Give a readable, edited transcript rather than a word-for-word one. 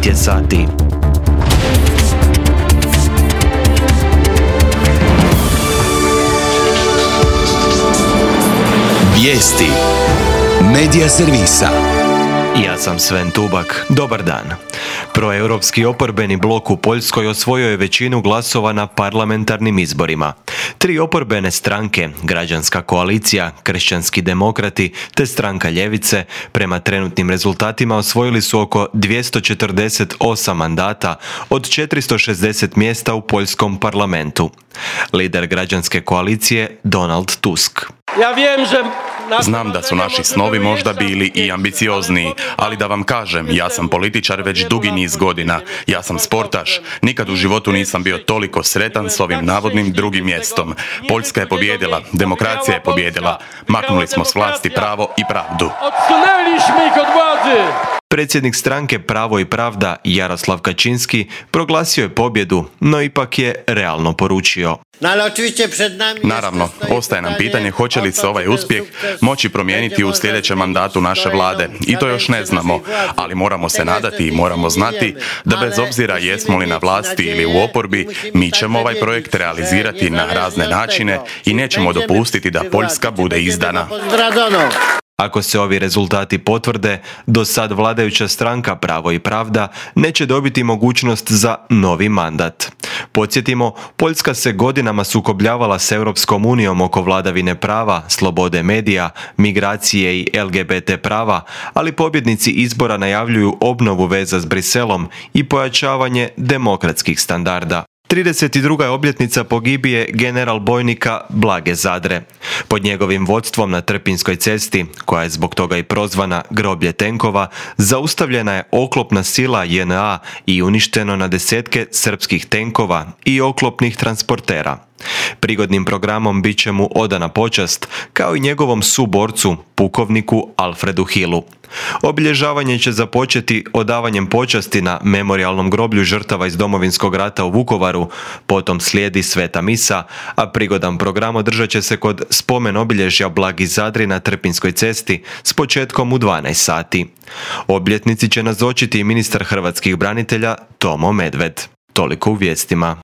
9 je sati. Vijesti Medija servisa. Ja sam Sven Tubak. Dobar dan. Proeuropski oporbeni blok u Poljskoj osvojio je većinu glasova na parlamentarnim izborima. 3 oporbene stranke, Građanska koalicija, Kršćanski demokrati te Stranka ljevice, prema trenutnim rezultatima osvojili su oko 248 mandata od 460 mjesta u poljskom parlamentu. Lider Građanske koalicije Donald Tusk. Znam da su naši snovi možda bili i ambiciozniji, ali da vam kažem, ja sam političar već dugi niz godina. Ja sam sportaš. Nikad u životu nisam bio toliko sretan s ovim navodnim drugim mjestom. Poljska je pobijedila, demokracija je pobijedila. Maknuli smo s vlasti pravo i pravdu. Predsjednik stranke Pravo i pravda Jaroslav Kaczynski proglasio je pobjedu, no ipak je realno poručio. Naravno, ostaje nam pitanje hoće li se ovaj uspjeh moći promijeniti u sljedećem mandatu naše vlade. I to još ne znamo, ali moramo se nadati i moramo znati da bez obzira jesmo li na vlasti ili u oporbi, mi ćemo ovaj projekt realizirati na razne načine i nećemo dopustiti da Poljska bude izdana. Ako se ovi rezultati potvrde, do sad vladajuća stranka Pravo i pravda neće dobiti mogućnost za novi mandat. Podsjetimo, Poljska se godinama sukobljavala s Europskom unijom oko vladavine prava, slobode medija, migracije i LGBT prava, ali pobjednici izbora najavljuju obnovu veza s Briselom i pojačavanje demokratskih standarda. 32. obljetnica pogibije general bojnika Blage Zadre. Pod njegovim vodstvom na Trpinjskoj cesti, koja je zbog toga i prozvana groblje tenkova, zaustavljena je oklopna sila JNA i uništeno na desetke srpskih tenkova i oklopnih transportera. Prigodnim programom bit će mu odana počast, kao i njegovom suborcu, pukovniku Alfredu Hillu. Obilježavanje će započeti odavanjem počasti na memorijalnom groblju žrtava iz Domovinskog rata u Vukovaru, potom slijedi sveta misa, a prigodan program održat će se kod spomen obilježja Blagi Zadri na Trpinjskoj cesti s početkom u 12 sati. Obljetnici će nazočiti i ministar hrvatskih branitelja Tomo Medved. Toliko u vijestima.